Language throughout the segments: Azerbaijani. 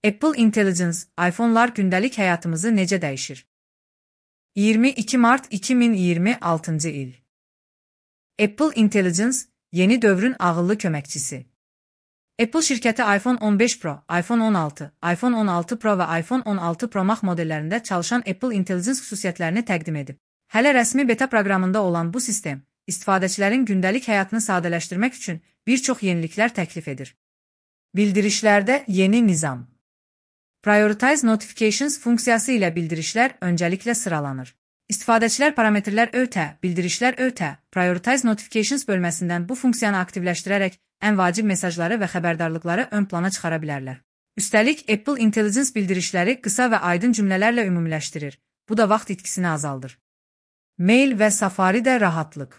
Apple Intelligence, iPhone'lar gündəlik həyatımızı necə dəyişir? 22 Mart 2026-cı il. Apple Intelligence, yeni dövrün ağıllı köməkçisi. Apple şirkəti iPhone 15 Pro, iPhone 16, iPhone 16 Pro və iPhone 16 Pro Max modellərində çalışan Apple Intelligence xüsusiyyətlərini təqdim edib. Hələ rəsmi beta proqramında olan bu sistem, istifadəçilərin gündəlik həyatını sadələşdirmək üçün bir çox yeniliklər təklif edir. Bildirişlərdə yeni nizam. Prioritize Notifications funksiyası ilə bildirişlər öncəliklə sıralanır. İstifadəçilər parametrlər ötə, bildirişlər ötə, Prioritize Notifications bölməsindən bu funksiyanı aktivləşdirərək ən vacib mesajları və xəbərdarlıqları ön plana çıxara bilərlər. Üstəlik, Apple Intelligence bildirişləri qısa və aydın cümlələrlə ümumiləşdirir. Bu da vaxt itkisini azaldır. Mail və Safari'də rahatlıq.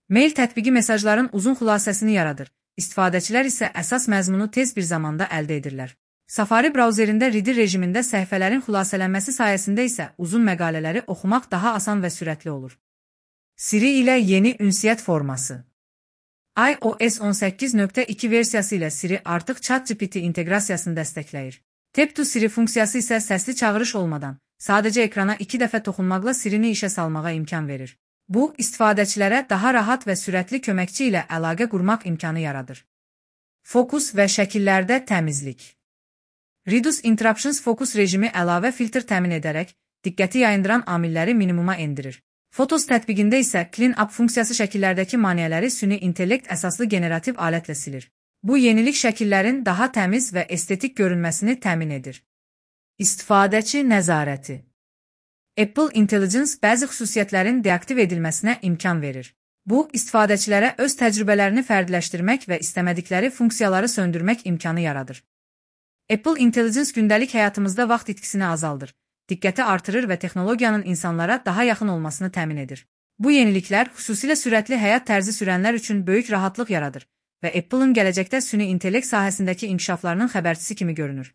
Mail tətbiqi mesajların uzun xülasəsini yaradır. İstifadəçilər isə əsas məzmunu tez bir zamanda əldə edirlər. Safari brauzerində Reader rejimində səhifələrin xülasələnməsi sayəsində isə uzun məqalələri oxumaq daha asan və sürətli olur. Siri ilə yeni ünsiyyət forması. iOS 18.2 versiyası ilə Siri artıq ChatGPT inteqrasiyasını dəstəkləyir. Tap to Siri funksiyası isə səsli çağırış olmadan, sadəcə ekrana 2 dəfə toxunmaqla Siri-ni işə salmağa imkan verir. Bu, istifadəçilərə daha rahat və sürətli köməkçi ilə əlaqə qurmaq imkanı yaradır. Fokus və şəkillərdə təmizlik. Reduce Interruptions fokus rejimi əlavə filtr təmin edərək, diqqəti yayındıran amilləri minimuma endirir. Photos tətbiqində isə Clean Up funksiyası şəkillərdəki maneələri süni intellekt əsaslı generativ alətlə silir. Bu yenilik şəkillərin daha təmiz və estetik görünməsini təmin edir. İstifadəçi nəzarəti. Apple Intelligence bəzi xüsusiyyətlərin deaktiv edilməsinə imkan verir. Bu, istifadəçilərə öz təcrübələrini fərdiləşdirmək və istəmədikləri funksiyaları söndürmək imkanı yaradır. Apple Intelligence gündəlik həyatımızda vaxt itkisini azaldır, diqqəti artırır və texnologiyanın insanlara daha yaxın olmasını təmin edir. Bu yeniliklər xüsusilə sürətli həyat tərzi sürənlər üçün böyük rahatlıq yaradır və Apple'ın gələcəkdə süni intellekt sahəsindəki inkişaflarının xəbərçisi kimi görünür.